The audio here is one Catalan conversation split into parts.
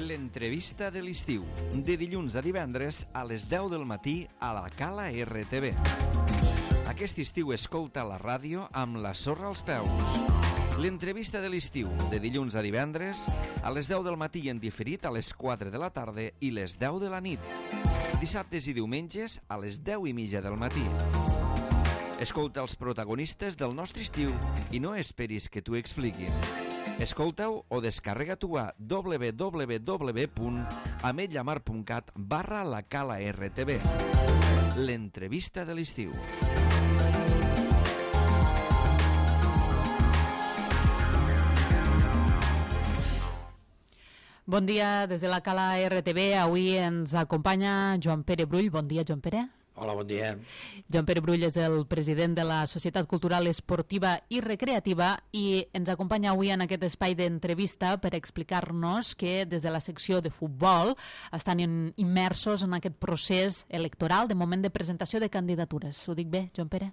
L'entrevista de l'estiu, de dilluns a divendres a les 10 del matí a la Cala RTV. Aquest estiu escolta la ràdio amb la sorra als peus. L'entrevista de l'estiu, de dilluns a divendres a les 10 del matí en diferit a les 4 de la tarda i les 10 de la nit. Dissabtes i diumenges a les 10:30 del matí. Escolta els protagonistes del nostre estiu i no esperis que t'ho expliquin. Escolta-ho o descarrega-t'ho a www.ametlllamar.cat/la Cala RTV. L'entrevista de l'estiu. Bon dia des de la Cala RTV. Avui ens acompanya Joan Pere Brull. Bon dia, Joan Pere. Hola, bon dia. Joan Pere Brull és el president de la Societat Cultural Esportiva i Recreativa i ens acompanya avui en aquest espai d'entrevista per explicar-nos que des de la secció de futbol estan immersos en aquest procés electoral de moment de presentació de candidatures. Ho dic bé, Joan Pere?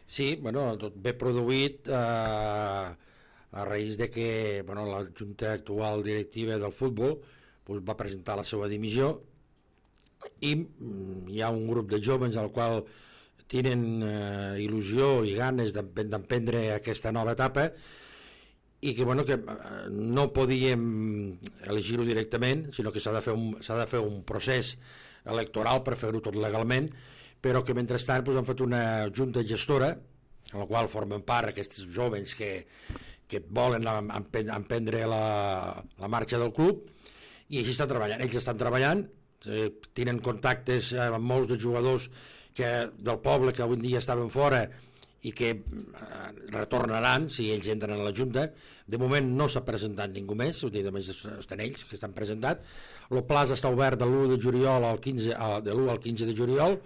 Sí, bueno, tot ve produït a raïs de que la Junta actual directiva del futbol va presentar la seva dimissió i hi ha un grup de joves al qual tenen il·lusió i ganes d'emprendre aquesta nova etapa i que no podíem elegir-ho directament, sinó que s'ha de fer un procés electoral per fer-ho tot legalment, però que mentrestant han fet una junta gestora en la qual formen part aquests joves que volen emprendre la marxa del club i així estan treballant. Ells estan treballant, tenen contactes amb molts de jugadors del poble que avui dia estaven fora i que retornaran si ells entren a la Junta. De moment no s'ha presentat ningú més, només estan ells que estan presentats. El pla està obert de l'1 de juliol al 15 de juliol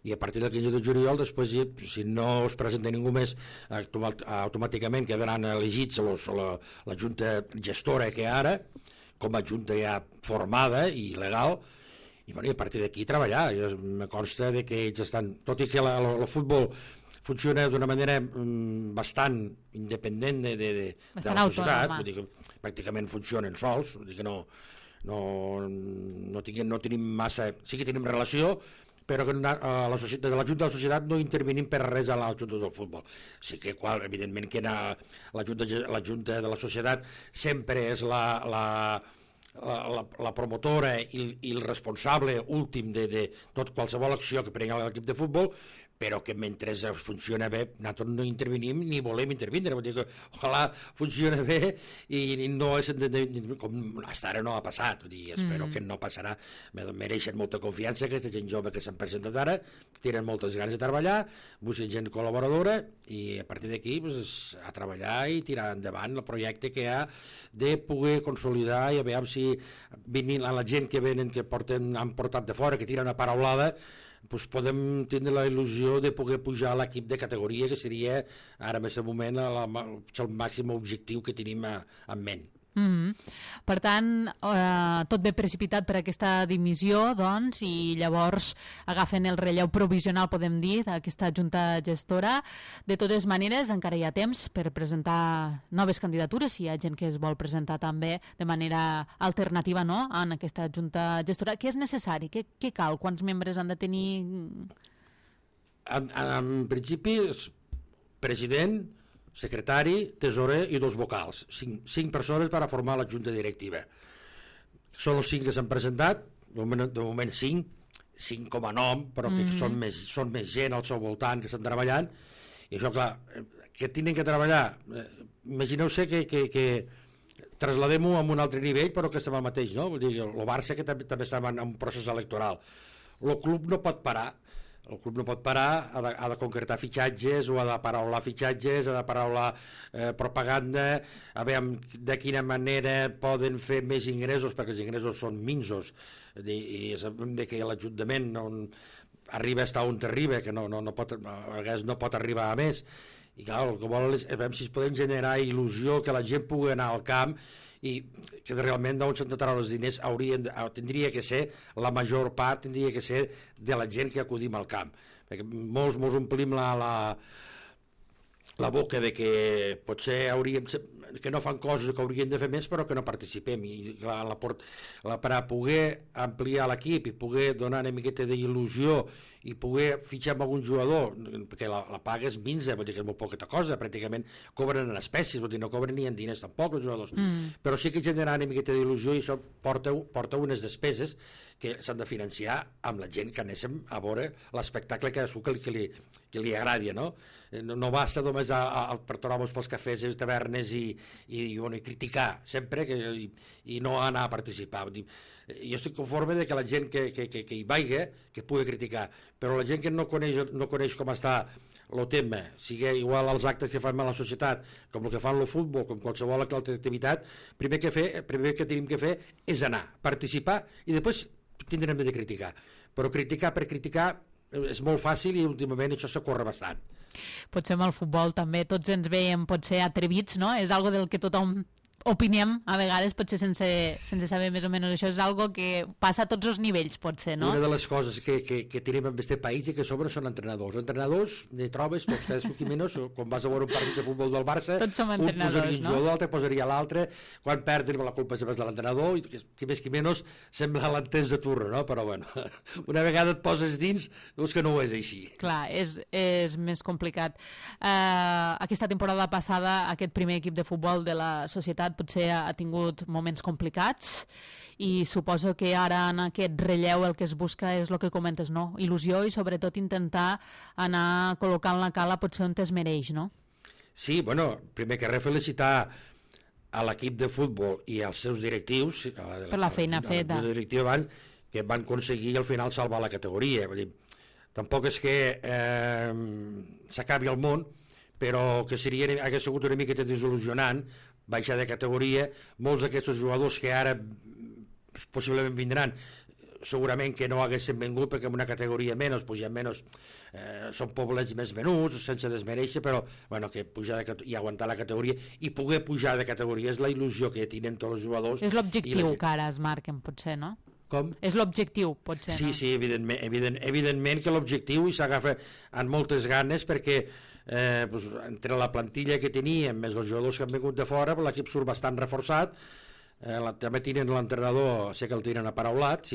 i a partir del 15 de juliol després, si no es presenta ningú més, automàticament quedaran elegits la Junta gestora que ara, com a Junta ja formada i legal, i a partir d'aquí treballar. Me consta que ells estan, tot i que el futbol funciona d'una manera bastant independent de la societat, vull dir que pràcticament funcionen sols, vull dir que no tenim massa, sí que tenim relació, però que la Junta de la Societat no intervenim per res a la Junta del Futbol. Sí que, evidentment, que la Junta de la Societat sempre és la promotora i el responsable últim de tot qualsevol acció que prengui l'equip de futbol, però que mentre funciona bé nosaltres no intervenim ni volem intervindre. Vull dir que ojalà funciona bé i no és com fins ara no ha passat. Vull dir, espero que no passarà. Mereixen molta confiança aquesta gent jove que s'han presentat ara, tenen moltes ganes de treballar, busquen gent col·laboradora i a partir d'aquí a treballar i tirar endavant el projecte que ha de poder consolidar i a veure si venint a la gent que venen, que han portat de fora, que tiren una paraulada, podem tindre la il·lusió de poder pujar a l'equip de categoria, que seria ara en aquest moment el màxim objectiu que tenim en ment. Per tant, tot ve precipitat per aquesta dimissió, doncs, i llavors agafen el relleu provisional, podem dir, d'aquesta junta gestora. De totes maneres, encara hi ha temps per presentar noves candidatures, si hi ha gent que es vol presentar també de manera alternativa, no?, en aquesta junta gestora. Què és necessari? Què cal? Quants membres han de tenir? En principi, president, secretari, tesorer i 2 vocals. 5 persones per a formar la junta directiva. Són els 5 que s'han presentat, de moment 5 com a nom, però que són més gent al seu voltant que estan treballant, i això, clar, que tenen que treballar. Imagineu-se que trasladem-ho a un altre nivell, però que estem al mateix, no? Vull dir, el Barça que també està en un procés electoral. El club no pot parar. El club no pot parar, ha de concretar fitxatges o ha de paraular fitxatges, ha de paraular propaganda, a veure de quina manera poden fer més ingressos, perquè els ingressos són minsos i sabem que l'Ajuntament arriba fins on arriba, que a vegades no pot arribar a més, i clar, el que vol és veure si podem generar il·lusió, que la gent pugui anar al camp i que realment d'on s'han de treure els diners tindria que ser, la major part tindria que ser de la gent que acudim al camp, perquè molts omplim la boca de que potser que no fan coses que haurien de fer més però que no participem, i clar, per a poder ampliar l'equip i poder donar una miqueta d'il·lusió i poder fitxar amb algun jugador, perquè la paga és minsa, vol dir que és molt poqueta cosa, pràcticament cobren en espècies, vol dir no cobren ni en diners tampoc els jugadors, però sí que generar una miqueta d'il·lusió, i això porta unes despeses que s'han de financiar amb la gent que anéssim a veure l'espectacle que li agradi, no? No basta només per tornar-nos pels cafès i tavernes i criticar sempre i no anar a participar. Jo estic conforme de que la gent que hi vagi, que pugui criticar, però la gent que no coneix com està el tema, sigui igual als actes que fan a la societat, com el que fan el futbol, com qualsevol altra activitat, primer que tenim que fer és anar, participar, i després tindrem de criticar. Però criticar per criticar és molt fàcil i últimament això s'acorre bastant. Potser amb el futbol també tots ens veiem potser atrevits, no? És algo del que tothom opinem a vegades, potser sense saber més o menys. Això és algo que passa a tots els nivells, potser, no? Una de les coses que tenim en aquest país i que sobre són entrenadors. Entrenadors, ne trobes tots, cadascú menys, quan vas a veure un partit de futbol del Barça, un posaria un jugador, l'altre posaria l'altre, quan perden la culpa sempre és de l'entrenador, i qui més qui menys sembla l'entès de turno, no? Però bueno, una vegada et poses dins, veus que no ho és així. Clar, és més complicat. Aquesta temporada passada, aquest primer equip de futbol de la societat potser ha tingut moments complicats i suposo que ara en aquest relleu el que es busca és el que comentes, no? Il·lusió i sobretot intentar anar col·locant la cala potser on es mereix, no? Sí, bueno, primer que res felicitar a l'equip de futbol i als seus directius per la feina feta abans, que van aconseguir al final salvar la categoria. Vull dir, tampoc és que s'acabi el món, però que hagués sigut una miqueta desil·lusionant baixar de categoria. Molts d'aquests jugadors que ara possiblement vindran segurament que no haguessin vingut perquè en una categoria menys, pujar menys, són poblets més menuts, sense desmereixer, però bueno, que pujar i aguantar la categoria i poder pujar de categoria és la il·lusió que tenen tots els jugadors. És l'objectiu que ara es marquen, potser, no? Com? És l'objectiu, potser, no? Sí, evidentment que l'objectiu i s'agafa amb moltes ganes perquè entre la plantilla que teníem més els jugadors que han vingut de fora, l'equip surt bastant reforçat. També tenen l'entrenador, sé que el tenen aparaulat,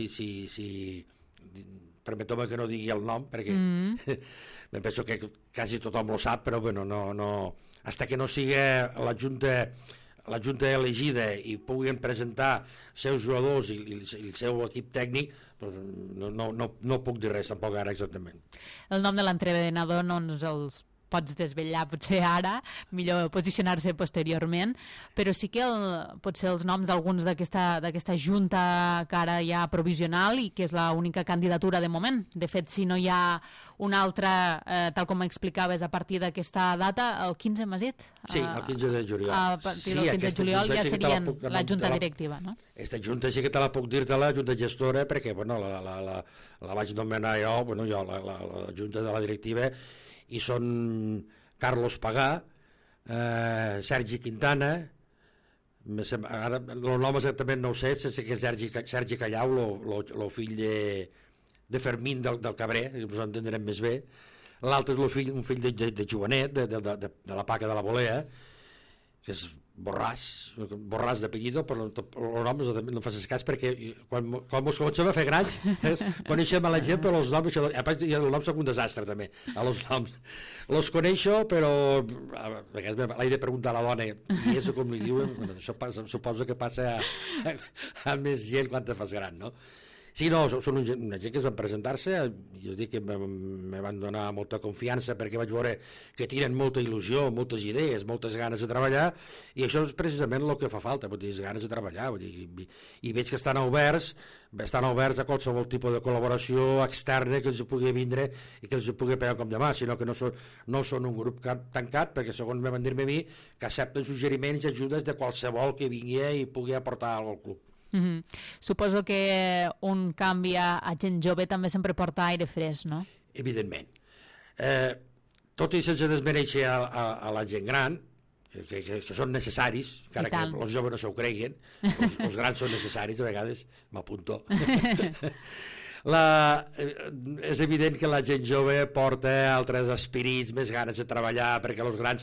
permeteu-me que no digui el nom perquè em penso que quasi tothom ho sap, però bueno, no, hasta que no sigui la junta elegida i puguin presentar seus jugadors i el seu equip tècnic, doncs no puc dir res tampoc ara exactament. El nom de l'entrenador no ens els pots desvetllar potser ara, millor posicionar-se posteriorment, però sí que potser els noms d'alguns d'aquesta junta que ara hi ha provisional i que és l'única candidatura de moment. De fet, si no hi ha una altra, tal com explicaves, a partir d'aquesta data, el 15 m'has dit? Sí, el 15 de juliol. A partir del 15 de juliol ja serien la junta directiva, no? Aquesta junta sí que te la puc dir-te, la junta gestora, perquè bueno, la vaig nomenar jo, la junta de la directiva, i són Carlos Pagà, Sergi Quintana, ara el nom exactament no ho sé, sé que és Sergi Callau, el fill de Fermín del Cabré, que ens entendrem més bé. L'altre és un fill de Joanet, de la Paca de la Bolea, que és Borràs d'apellido, però el nom no facis cas perquè quan ens comencem a fer grans coneixem a la gent, però els noms i el nom són un desastre també, els noms els coneixo, però l'he de preguntar a la dona i és com li diuen, suposo que passa a més gent quan te fas gran, no? Sí, no, són una gent que es van presentar-se, i us dic que me van donar molta confiança perquè vaig veure que tenen molta il·lusió, moltes idees, moltes ganes de treballar, i això és precisament el que fa falta, ganes de treballar, i veig que estan oberts a qualsevol tipus de col·laboració externa que els pugui vindre i que els pugui pegar com demà, sinó que no són un grup tancat, perquè segons me van dir-me a mi, que accepten suggeriments i ajudes de qualsevol que vingui i pugui aportar al club. Suposo que un canvi a gent jove també sempre porta aire fresc, no? Evidentment. Tot i sense desmereixer a la gent gran, que són necessaris, encara que els joves no s'ho creguin, els grans són necessaris, a vegades m'apunto. és evident que la gent jove porta altres espirits, més ganes de treballar, perquè els grans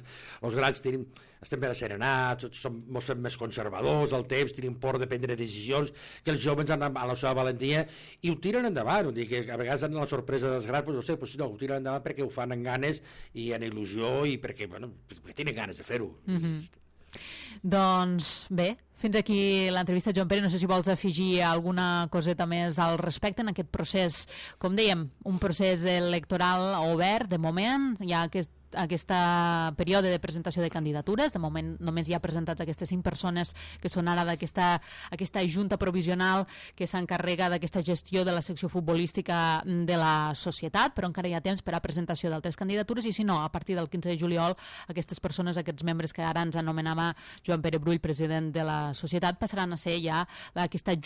estem ben asserenats, ens fem més conservadors al temps, tenim por de prendre decisions, que els joves han a la seva valentia i ho tiren endavant. Vull dir que a vegades han la sorpresa dels grans, no sé, no, ho tiren endavant perquè ho fan amb ganes i en il·lusió i perquè tenen ganes de fer-ho. Doncs bé, fins aquí l'entrevista. Joan Pere, no sé si vols afegir alguna coseta més al respecte en aquest procés, com dèiem, un procés electoral obert de moment. Hi ha aquest període de presentació de candidatures. De moment només hi ha presentats aquestes 5 persones que són ara d'aquesta junta provisional que s'encarrega d'aquesta gestió de la secció futbolística de la societat, però encara hi ha temps per a presentació d'altres candidatures i si no, a partir del 15 de juliol aquestes persones, aquests membres que ara ens anomenava Joan Pere Brull, president de la societat, passaran a ser ja aquesta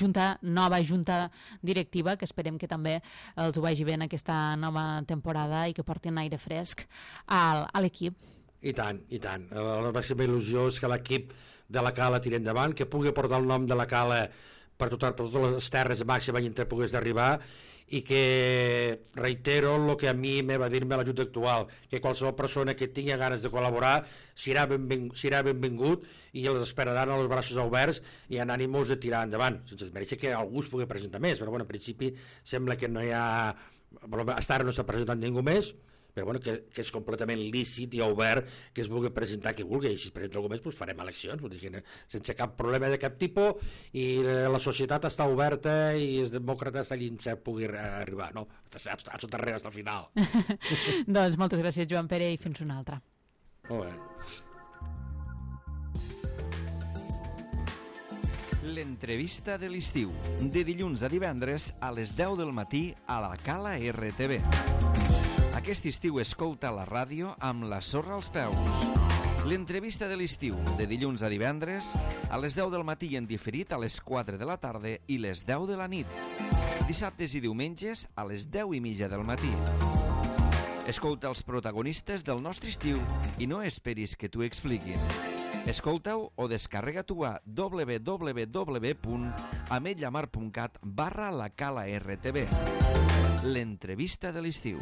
nova junta directiva, que esperem que també els ho vagi bé en aquesta nova temporada i que portin aire fresc a l'equip. I tant, i tant. La màxima il·lusió és que l'equip de la Cala tiri endavant, que pugui portar el nom de la Cala per totes les terres de màxima i en pogués d'arribar, i que reitero el que a mi me va dir-me la Junta actual, que qualsevol persona que tingui ganes de col·laborar serà benvingut i els esperaran els braços oberts i en ànimos de tirar endavant, sense mereixer que algú es pugui presentar més, però bueno, en principi sembla que no hi ha... Fins ara no s'ha presentat ningú més, però bueno, que és completament lícit i obert que es vulgui presentar qui vulgui, i si es presenta algú més doncs farem eleccions, vull dir que sense cap problema de cap tipus, i la societat està oberta i és demòcrata fins allà on pugui arribar, no? A sota arrere, fins al final. Doncs moltes gràcies, Joan Pere, i fins una altra. Molt bé. L'entrevista de l'estiu, de dilluns a divendres a les 10 del matí a la Cala RTV. Aquest estiu escolta la ràdio amb la sorra als peus. L'entrevista de l'estiu, de dilluns a divendres, a les 10 del matí i en diferit a les 4 de la tarda i les 10 de la nit. Dissabtes i diumenges a les 10:30 del matí. Escolta els protagonistes del nostre estiu i no esperis que t'ho expliquin. Escolta-ho o descarrega-t'ho a www.ametlllamar.cat/la Cala RTV. L'entrevista de l'estiu.